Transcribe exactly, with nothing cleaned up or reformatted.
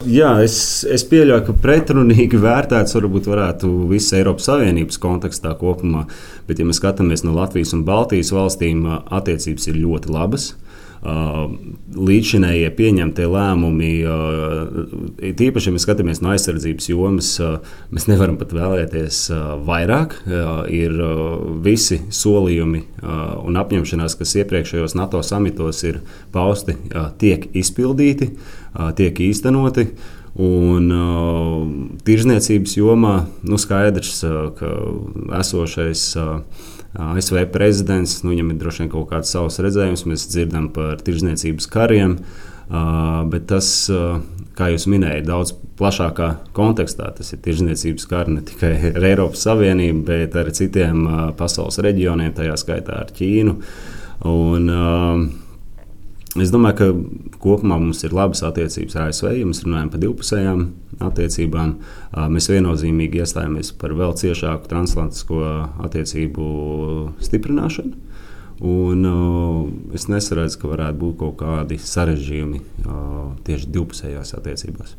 jā, es, es pieļauju, ka pretrunīgi vērtēts varbūt varētu visas Eiropas Savienības kontekstā kopumā, bet, ja mēs skatāmies no Latvijas un Baltijas valstīm, attiecības ir ļoti labas. Līdzšinējie pieņemtie lēmumi, tīpaši, ja mēs skatāmies no aizsardzības jomas, mēs nevaram pat vēlēties vairāk. Ir visi solījumi un apņemšanās, kas iepriekšējos NATO samitos ir pausti, tiek izpildīti, tiek īstenoti. Un uh, tirzniecības jomā nu, skaidrs, uh, ka esošais uh, A S V prezidents, nu, viņam ir droši vien kaut kāds savs redzējums, mēs dzirdam par tirzniecības kariem, uh, bet tas, uh, kā jūs minējāt, daudz plašākā kontekstā. Tas ir tirzniecības kari ne tikai ar Eiropas Savienību, bet arī citiem uh, pasaules reģioniem, tajā skaitā ar Ķīnu. Un, uh, Es domāju, ka kopumā mums ir labas attiecības ar A S V, ja mēs runājam par divpusējām attiecībām. Mēs viennozīmīgi iestājāmies par vēl ciešāku transatlantisko attiecību stiprināšanu. Un, uh, es nesaredzu, ka varētu būt kaut kādi sarežģījumi uh, tieši divpusējās attiecībās.